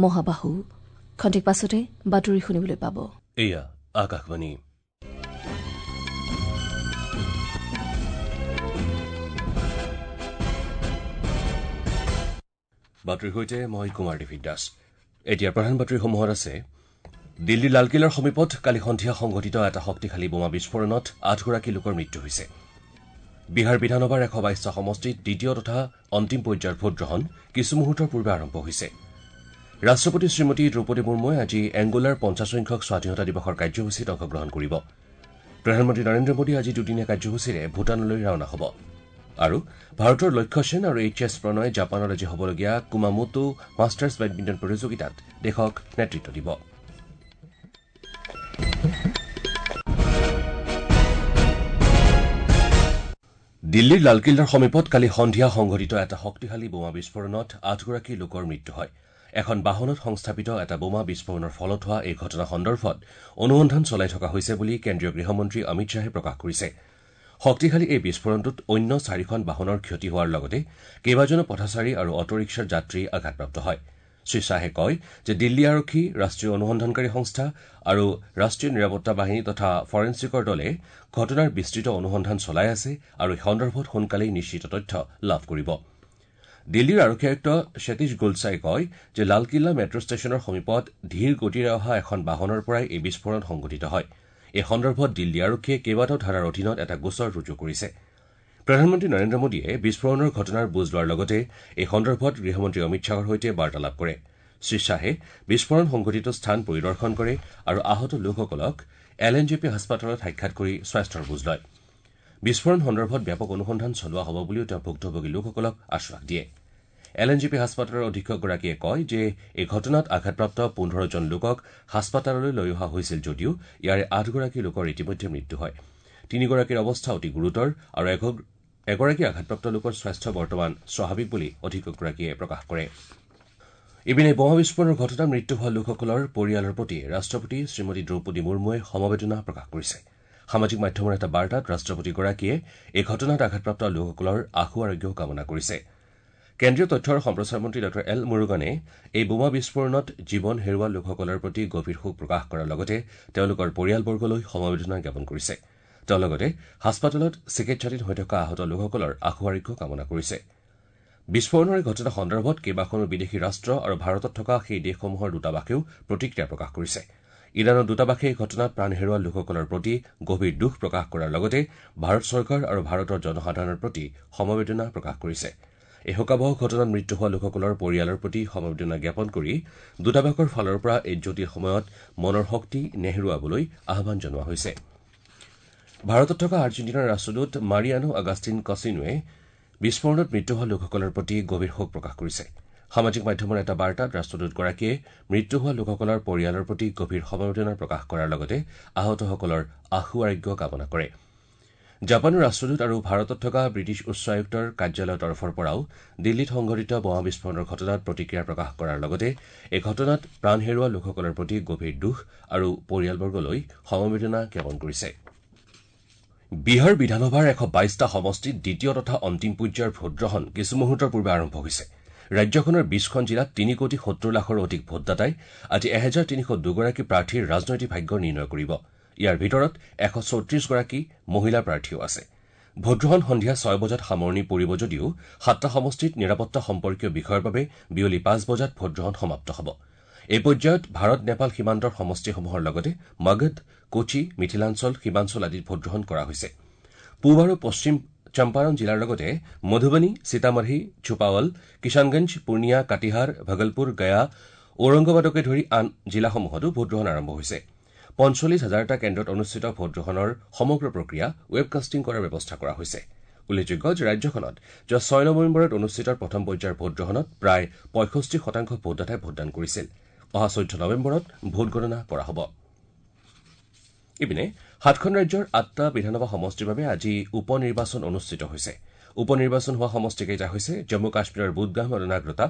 মহাবাহু। খন্তেক পাছতে বাতৰি শুনিবলৈ পাব। এয়া আকাশবাণী। বাতৰিৰ সৈতে মই কুমাৰ দেৱী দাস। এতিয়া প্ৰধান বাতৰিসমূহত আছে: দিল্লীৰ লালকিল্লাৰ সমীপত কালি সন্ধিয়া সংঘটিত এটা শক্তিশালী বোমা বিস্ফোৰণত ৮গৰাকী লোকৰ মৃত্যু হৈছে। বিহাৰ বিধানসভাৰ ১২২টা সমষ্টিত দ্বিতীয় তথা অন্তিম পৰ্যায়ৰ ভোটগ্ৰহণ কিছু মুহূৰ্তৰ পূৰ্বে আৰম্ভ হৈছে। ৰাষ্ট্ৰপতি শ্ৰীমতী দ্ৰৌপদী মুৰ্মুৱে আজি এংগোলাৰ ৫০ সংখ্যক স্বাধীনতা দিৱসৰ কাৰ্যসূচীত অংশগ্ৰহণ কৰিব। প্ৰধানমন্ত্ৰী নৰেন্দ্ৰ মোদী আজি দুদিনীয়া কাৰ্যসূচীৰে ভূটানলৈ ৰাওনা হ'ব। আৰু ভাৰতৰ লক্ষ্য সেন আৰু এইচ এছ প্ৰণয়ে জাপানত আজি হ'বলগীয়া কুমামোটো মাষ্টাৰ্ছ বেডমিণ্টন প্ৰতিযোগিতাত দেশক নেতৃত্ব দিব। দিল্লীৰ লালকিল্লাৰ সমীপত কালি সন্ধিয়া সংঘটিত এটা শক্তিশালী বোমা বিস্ফোৰণত ৮গৰাকী লোকৰ মৃত্যু হয়। এখন বাহনত সংস্থাপিত এটা বোমা বিস্ফোৰণৰ ফলত হোৱা এই ঘটনা সন্দৰ্ভত অনুসন্ধান চলাই থকা হৈছে বুলি কেন্দ্ৰীয় গৃহমন্ত্ৰী অমিত শ্বাহে প্ৰকাশ কৰিছে। শক্তিশালী এই বিস্ফোৰণটোত অন্য ৪খন বাহনৰ ক্ষতি হোৱাৰ লগতে কেইবাজনো পথচাৰী আৰু অটোৰিক্সাৰ যাত্ৰী আঘাতপ্ৰাপ্ত হয়। শ্ৰীশ্বাহে কয় যে দিল্লী আৰক্ষী, ৰাষ্ট্ৰীয় অনুসন্ধানকাৰী সংস্থা আৰু ৰাষ্ট্ৰীয় নিৰাপত্তা বাহিনী তথা ফৰেনছিকৰ দলে ঘটনাৰ বিস্তৃত অনুসন্ধান চলাই আছে আৰু এই সন্দৰ্ভত সোনকালেই নিশ্চিত তথ্য লাভ কৰিব। দিল্লীৰ আৰক্ষী আয়ুক্ত সতীশ গোলছাই কয় যে লালকিল্লা মেট্ৰ ষ্টেচনৰ সমীপত ধীৰ গতিৰে অহা এখন বাহনৰ পৰাই এই বিস্ফোৰণ সংঘটিত হয়। এই সন্দৰ্ভত দিল্লী আৰক্ষীয়ে কেইবাটাও ধাৰাৰ অধীনত এটা গোচৰ ৰুজু কৰিছে। প্ৰধানমন্ত্ৰী নৰেন্দ্ৰ মোদীয়ে বিস্ফোৰণৰ ঘটনাৰ বুজ লোৱাৰ লগতে এই সন্দৰ্ভত গৃহমন্ত্ৰী অমিত শ্বাহৰ সৈতে বাৰ্তালাপ কৰে। শ্ৰীশ্বাহে বিস্ফোৰণ সংঘটিত স্থান পৰিদৰ্শন কৰে আৰু আহত লোকসকলক এল এন জে পি হাস্পতালত সাক্ষাৎ কৰি স্বাস্থ্যৰ বুজ লয়। বিস্ফোৰণ সন্দৰ্ভত ব্যাপক অনুসন্ধান চলোৱা হ'ব বুলিও তেওঁ ভুক্তভোগী লোকসকলক আশ্বাস দিয়ে। এল এন জে পি হাস্পতালৰ অধীক্ষকগৰাকীয়ে কয় যে এই ঘটনাত আঘাতপ্ৰাপ্ত ১৫জন লোকক হাস্পতাললৈ লৈ অহা হৈছিল যদিও ইয়াৰে ৮গৰাকী লোকৰ ইতিমধ্যে মৃত্যু হয়। ৩গৰাকীৰ অৱস্থা অতি গুৰুতৰ আৰু এগৰাকী আঘাতপ্ৰাপ্ত লোকৰ স্বাস্থ্য বৰ্তমান স্বাভাৱিক বুলি অধীক্ষকগৰাকীয়ে প্ৰকাশ কৰে। ইপিনে বোমা বিস্ফোৰণৰ ঘটনাত মৃত্যু হোৱা লোকসকলৰ পৰিয়ালৰ প্ৰতি ৰাষ্ট্ৰপতি শ্ৰীমতী দ্ৰৌপদী মুৰ্মুৱে সমবেদনা প্ৰকাশ কৰিছে। সামাজিক মাধ্যমৰ এটা বাৰ্তাত ৰাষ্ট্ৰপতিগৰাকীয়ে এই ঘটনাত আঘাতপ্ৰাপ্ত লোকসকলৰ আশু আৰোগ্য কামনা কৰিছে। কেন্দ্ৰীয় তথ্য আৰু সম্প্ৰচাৰ মন্ত্ৰী ডাঃ এল মুৰুগানে এই বোমা বিস্ফোৰণত জীৱন হেৰুওৱা লোকসকলৰ প্ৰতি গভীৰ শোক প্ৰকাশ কৰাৰ লগতে তেওঁলোকৰ পৰিয়ালবৰ্গলৈ সমবেদনা জ্ঞাপন কৰিছে। তেওঁ লগতে হাস্পতালত চিকিৎসাধীন হৈ থকা আহত লোকসকলৰ আশু আৰোগ্য কামনা কৰিছে। বিস্ফোৰণৰ এই ঘটনা সন্দৰ্ভত কেইবাখনো বিদেশী ৰাষ্ট্ৰ আৰু ভাৰতত থকা সেই দেশসমূহৰ দূতাবাসেও প্ৰতিক্ৰিয়া প্ৰকাশ কৰিছে। ইৰাণৰ দূতাবাসে এই ঘটনাত প্ৰাণ হেৰুওৱা লোকসকলৰ প্ৰতি গভীৰ দুখ প্ৰকাশ কৰাৰ লগতে ভাৰত চৰকাৰ আৰু ভাৰতৰ জনসাধাৰণৰ প্ৰতি সমবেদনা প্ৰকাশ কৰিছে। এই শোকাবহ ঘটনাত মৃত্যু হোৱা লোকসকলৰ পৰিয়ালৰ প্ৰতি সমবেদনা জ্ঞাপন কৰি দূতাবাসৰ ফালৰ পৰা এই জটিল সময়ত মনৰ শক্তি নেহেৰুৱাবলৈ আহ্বান জনোৱা হৈছে। ভাৰতত থকা আৰ্জেণ্টিনাৰ ৰাষ্ট্ৰদূত মাৰিয়ানো আগাষ্টিন কছিনোৱে বিস্ফোৰণত মৃত্যু হোৱা লোকসকলৰ প্ৰতি গভীৰ শোক প্ৰকাশ কৰিছে। সামাজিক মাধ্যমৰ এটা বাৰ্তাত ৰাষ্ট্ৰদূতগৰাকীয়ে মৃত্যু হোৱা লোকসকলৰ পৰিয়ালৰ প্ৰতি গভীৰ সমবেদনা প্ৰকাশ কৰাৰ লগতে আহতসকলৰ আশু আৰোগ্য কামনা কৰে। জাপানৰ ৰাষ্ট্ৰদূত আৰু ভাৰতত থকা ব্ৰিটিছ উচ্চ আয়ুক্তৰ কাৰ্যালয়ৰ তৰফৰ পৰাও দিল্লীত সংঘটিত বোমা বিস্ফোৰণৰ ঘটনাত প্ৰতিক্ৰিয়া প্ৰকাশ কৰাৰ লগতে এই ঘটনাত প্ৰাণ হেৰুওৱা লোকসকলৰ প্ৰতি গভীৰ দুখ আৰু পৰিয়ালবৰ্গলৈ সমবেদনা জ্ঞাপন কৰিছে। বিহাৰ বিধানসভাৰ ১২২টা সমষ্টিত দ্বিতীয় তথা অন্তিম পৰ্যায়ৰ ভোটগ্ৰহণ কিছু মুহূৰ্তৰ পূৰ্বে আৰম্ভ হৈছে। ৰাজ্যখনৰ ২০খন জিলাত ৩ কোটি ৭০ লাখৰো অধিক ভোটদাতাই আজি ১৩০২গৰাকী প্ৰাৰ্থীৰ ৰাজনৈতিক ভাগ্য নিৰ্ণয় কৰিব। ইয়াৰ ভিতৰত ১৩৪গৰাকী মহিলা প্ৰাৰ্থীও আছে। ভোটগ্ৰহণ সন্ধিয়া ৬ বজাত সামৰণি পৰিব যদিও ৭টা সমষ্টিত নিৰাপত্তা সম্পৰ্কীয় বিষয়ৰ বাবে বিয়লি ৫ বজাত ভোটগ্ৰহণ সমাপ্ত হ'ব। এই পৰ্যায়ত ভাৰত নেপাল সীমান্তৰ সমষ্টিসমূহৰ লগতে মগধ, কোচি, মিথিলাঞ্চল, সীমাঞ্চল আদিত ভোটগ্ৰহণ কৰা হৈছে। পূব আৰু পশ্চিম চম্পাৰণ জিলাৰ লগতে মধুবনী, সীতামাৰ্হি, ছুপাৱল, কিষাণগঞ্জ, পূৰ্ণিয়া, কাটিহাৰ, ভগলপুৰ, গয়া, ঔৰংগাবাদকে ধৰি আন জিলাসমূহতো ভোটগ্ৰহণ আৰম্ভ হৈছে। ৪৫ হাজাৰটা কেন্দ্ৰত অনুষ্ঠিত ভোটগ্ৰহণৰ সমগ্ৰ প্ৰক্ৰিয়া ৱেবকাষ্টিং কৰাৰ ব্যৱস্থা কৰা হৈছে। উল্লেখযোগ্য যে ৰাজ্যখনত যোৱা ৬ নৱেম্বৰত অনুষ্ঠিত প্ৰথম পৰ্যায়ৰ ভোটগ্ৰহণত প্ৰায় ৬৫% ভোটদাতাই ভোটদান কৰিছিল। অহা ১৪ নৱেম্বৰত ভোটগণনা কৰা হ'ব। ইপিনে ৭খন ৰাজ্যৰ ৮টা বিধানসভা সমষ্টিৰ বাবে আজি উপ নিৰ্বাচন অনুষ্ঠিত হৈছে। উপ নিৰ্বাচন হোৱা সমষ্টিকেইটা হৈছে জম্মু কাশ্মীৰৰ বুদগাম আৰু নাগ্ৰতা,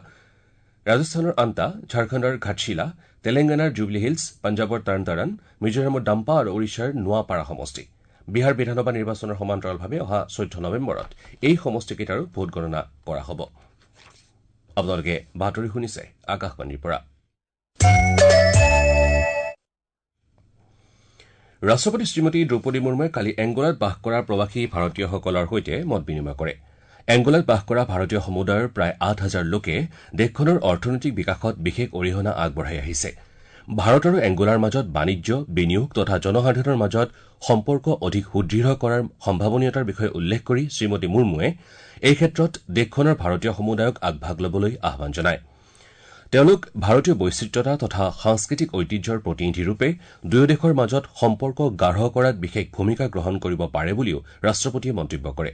ৰাজস্থানৰ আন্তা, ঝাৰখণ্ডৰ ঘাটশিলা, তেলেংগানাৰ জুবলি হিলছ, পঞ্জাৱৰ তৰণতাৰণ, মিজোৰামৰ ডাম্পা আৰু ওড়িশাৰ নোৱাপাৰা সমষ্টি। বিহাৰ বিধানসভা নিৰ্বাচনৰ সমান্তৰালভাৱে অহা ১৪ নৱেম্বৰত এই সমষ্টিকেইটাৰো ভোটগণনা কৰা হ'ব। আপোনালোকে বাতৰি শুনিছে আকাশবাণীৰ পৰা। ৰাষ্ট্ৰপতি শ্ৰীমতী দ্ৰৌপদী মুৰ্মুৱে কালি এংগোলাত বাস কৰা প্ৰৱাসী ভাৰতীয়সকলৰ সৈতে মত বিনিময় কৰে। এংগোলাত বাস কৰা ভাৰতীয় সমুদায়ৰ প্ৰায় ৮ হাজাৰ লোকে দেশখনৰ অৰ্থনৈতিক বিকাশত বিশেষ অৰিহণা আগবঢ়াই আহিছে। ভাৰত আৰু এংগোলাৰ মাজত বাণিজ্য, বিনিয়োগ তথা জনসাধাৰণৰ মাজত সম্পৰ্ক অধিক সুদৃঢ় কৰাৰ সম্ভাৱনীয়তাৰ বিষয়ে উল্লেখ কৰি শ্ৰীমতী মুৰ্মুৱে এই ক্ষেত্ৰত দেশখনৰ ভাৰতীয় সমুদায়ক আগভাগ ল'বলৈ আহ্বান জনায়। তেওঁলোক ভাৰতীয় বৈচিত্ৰতা তথা সাংস্কৃতিক ঐতিহ্যৰ প্ৰতিনিধিৰূপে দুয়ো দেশৰ মাজত সম্পৰ্ক গাঢ় কৰাত বিশেষ ভূমিকা গ্ৰহণ কৰিব পাৰে বুলিও ৰাষ্ট্ৰপতিয়ে মন্তব্য কৰে।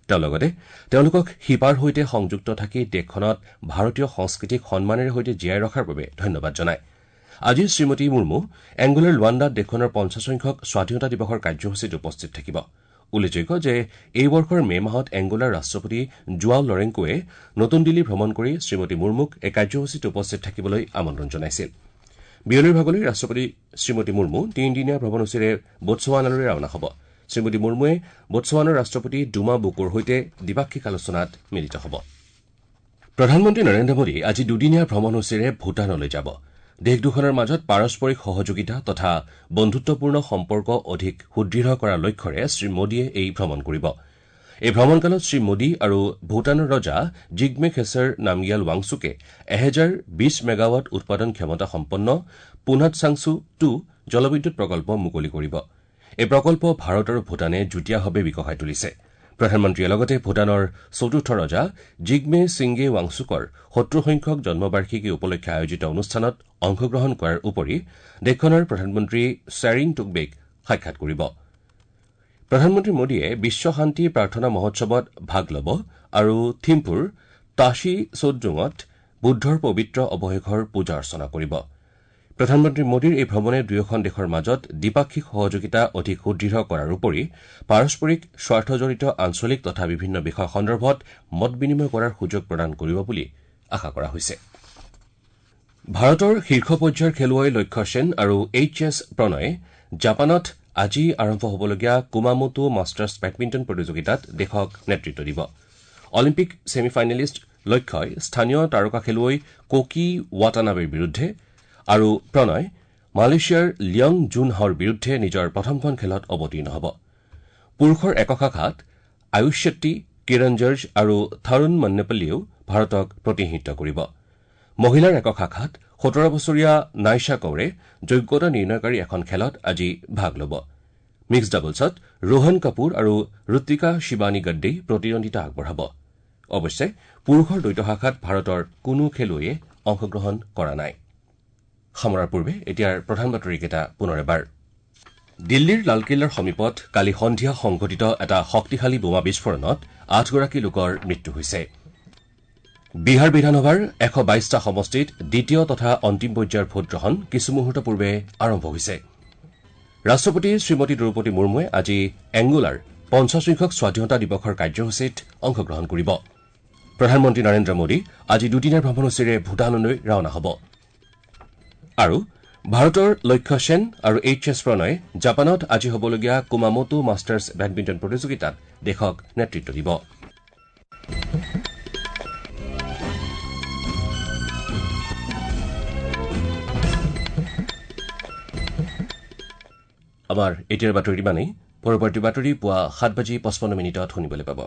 তেওঁ লগতে তেওঁলোকক শিপাৰ সৈতে সংযুক্ত থাকি দেশখনত ভাৰতীয় সংস্কৃতিক সন্মানেৰে সৈতে জীয়াই ৰখাৰ বাবে ধন্যবাদ জনায়। আজি শ্ৰীমতী মুৰ্মু এংগোলাৰ লুৱাণ্ডাত দেশখনৰ ৫০ সংখ্যক স্বাধীনতা দিৱসৰ কাৰ্যসূচীত উপস্থিত থাকিব। উল্লেখযোগ্য যে এই বৰ্ষৰ মে মাহত এংগোলাৰ ৰাষ্ট্ৰপতি জোৱাও লৰেংকোৱে নতুন দিল্লী ভ্ৰমণ কৰি শ্ৰীমতী মুৰ্মুক এই কাৰ্যসূচীত উপস্থিত থাকিবলৈ আমন্ত্ৰণ জনাইছিল। বিয়লিৰ ভাগলৈ ৰাষ্ট্ৰপতি শ্ৰীমতী মুৰ্মু তিনিদিনীয়া ভ্ৰমণসূচীৰে বোটছৱানালৈ ৰাওনা হ'ব। শ্ৰীমতী মুৰ্মুৱে বোটছৱানাৰ ৰাষ্ট্ৰপতি ডুমা বোকোৰ সৈতে দ্বিপাক্ষিক আলোচনাত মিলিত হ'ব। প্ৰধানমন্ত্ৰী নৰেন্দ্ৰ মোদী আজি দুদিনীয়া ভ্ৰমণসূচীৰে ভূটানলৈ যাব। দেশ দুখনৰ মাজত পাৰস্পৰিক সহযোগিতা তথা বন্ধুত্বপূৰ্ণ সম্পৰ্ক অধিক সুদৃঢ় কৰাৰ লক্ষ্যৰে শ্ৰীমোদীয়ে এই ভ্ৰমণ কৰিব। এই ভ্ৰমণকালত শ্ৰীমোদী আৰু ভূটানৰ ৰজা জিগমে খেছৰ নামগিয়াল ৱাংচুকে ১০২০ মেগাৱাট উৎপাদন ক্ষমতা সম্পন্ন পুনাটছাংছু ২ জলবিদ্যুৎ প্ৰকল্প মুকলি কৰিব। এই প্ৰকল্প ভাৰত আৰু ভূটানে যুটীয়াভাৱে বিকশাই তুলিছে। প্ৰধানমন্ত্ৰীয়ে লগতে ভূটানৰ চতুৰ্থ ৰজা জিগমে ছিংগে ৱাংচুকৰ ৭০ সংখ্যক জন্মবাৰ্ষিকী উপলক্ষে আয়োজিত অনুষ্ঠানত অংশগ্ৰহণ কৰাৰ উপৰি দেশখনৰ প্ৰধানমন্ত্ৰী শ্বেৰিং টোগবেক সাক্ষাৎ কৰিব। প্ৰধানমন্ত্ৰী মোদীয়ে বিশ্ব শান্তি প্ৰাৰ্থনা মহোৎসৱত ভাগ ল'ব আৰু থিম্পুৰ তাশি চোডজুঙত বুদ্ধৰ পবিত্ৰ অৱশেষৰ পূজা অৰ্চনা কৰিব। প্ৰধানমন্ত্ৰী মোদীৰ এই ভ্ৰমণে দুয়োখন দেশৰ মাজত দ্বিপাক্ষিক সহযোগিতা অধিক সুদৃঢ় কৰাৰ উপৰি পাৰস্পৰিক স্বাৰ্থজড়িত আঞ্চলিক তথা বিভিন্ন বিষয় সন্দৰ্ভত মত বিনিময় কৰাৰ সুযোগ প্ৰদান কৰিব বুলি আশা কৰা হৈছে। ভাৰতৰ শীৰ্ষ পৰ্যায়ৰ খেলুৱৈ লক্ষ্য সেন আৰু এইচ এছ প্ৰণয়ে জাপানত আজি আৰম্ভ হ'বলগীয়া কুমামোটো মাষ্টাৰ্ছ বেডমিণ্টন প্ৰতিযোগিতাত দেশক নেতৃত্ব দিব। অলিম্পিক ছেমি ফাইনেলিষ্ট লক্ষ্যই স্থানীয় তাৰকা খেলুৱৈ কোকি ৱাটানাবেৰ বিৰুদ্ধে আৰু প্ৰণয় মালয়েছিয়াৰ লিয়ং জুন হাওৰ বিৰুদ্ধে নিজৰ প্ৰথমখন খেলত অৱতীৰ্ণ হ'ব। পুৰুষৰ একক শাখাত আয়ুষ শেট্টি, কিৰণ জৰ্জ আৰু থাৰুণ মন্নেপল্লীয়েও ভাৰতক প্ৰতিনিধিত্ব কৰিব। মহিলাৰ একক শাখাত ১৭ বছৰীয়া নাইশা কৌৰে যোগ্যতা নিৰ্ণয়কাৰী এখন খেলত আজি ভাগ ল'ব। মিক্সড ডাবলছত ৰোহন কাপুৰ আৰু ঋতিকা শিৱানী গড্ডেই প্ৰতিদ্বন্দ্বিতা আগবঢ়াব। অৱশ্যে পুৰুষৰ দ্বৈত শাখাত ভাৰতৰ কোনো খেলুৱৈয়ে অংশগ্ৰহণ কৰা নাই। সামৰাৰ পূৰ্বে এতিয়াৰ প্ৰধান বাতৰিকেইটা পুনৰ এবাৰ। দিল্লীৰ লালকিল্লাৰ সমীপত কালি সন্ধিয়া সংঘটিত এটা শক্তিশালী বোমা বিস্ফোৰণত ৮গৰাকী লোকৰ মৃত্যু হৈছে। বিহাৰ বিধানসভাৰ ১২২টা সমষ্টিত দ্বিতীয় তথা অন্তিম পৰ্যায়ৰ ভোটগ্ৰহণ কিছু মুহূৰ্ত পূৰ্বে আৰম্ভ হৈছে। ৰাষ্ট্ৰপতি শ্ৰীমতী দ্ৰৌপদী মুৰ্মুৱে আজি এংগোলাৰ ৫০ সংখ্যক স্বাধীনতা দিৱসৰ কাৰ্যসূচীত অংশগ্ৰহণ কৰিব। প্ৰধানমন্ত্ৰী নৰেন্দ্ৰ মোদী আজি দুদিনীয়া ভ্ৰমণসূচীৰে ভূটানলৈ ৰাওনা হ'ব। আৰু ভাৰতৰ লক্ষ্য সেন আৰু এইচ এছ প্ৰণয়ে জাপানত আজি হ'বলগীয়া কুমামোটো মাষ্টাৰ্ছ বেডমিণ্টন প্ৰতিযোগিতাত দেশক নেতৃত্ব দিব। আমাৰ এতিয়াৰ বাতৰি ইমানেই। পৰৱৰ্তী বাতৰি পুৱা ৭:৫৫ শুনিবলৈ পাব।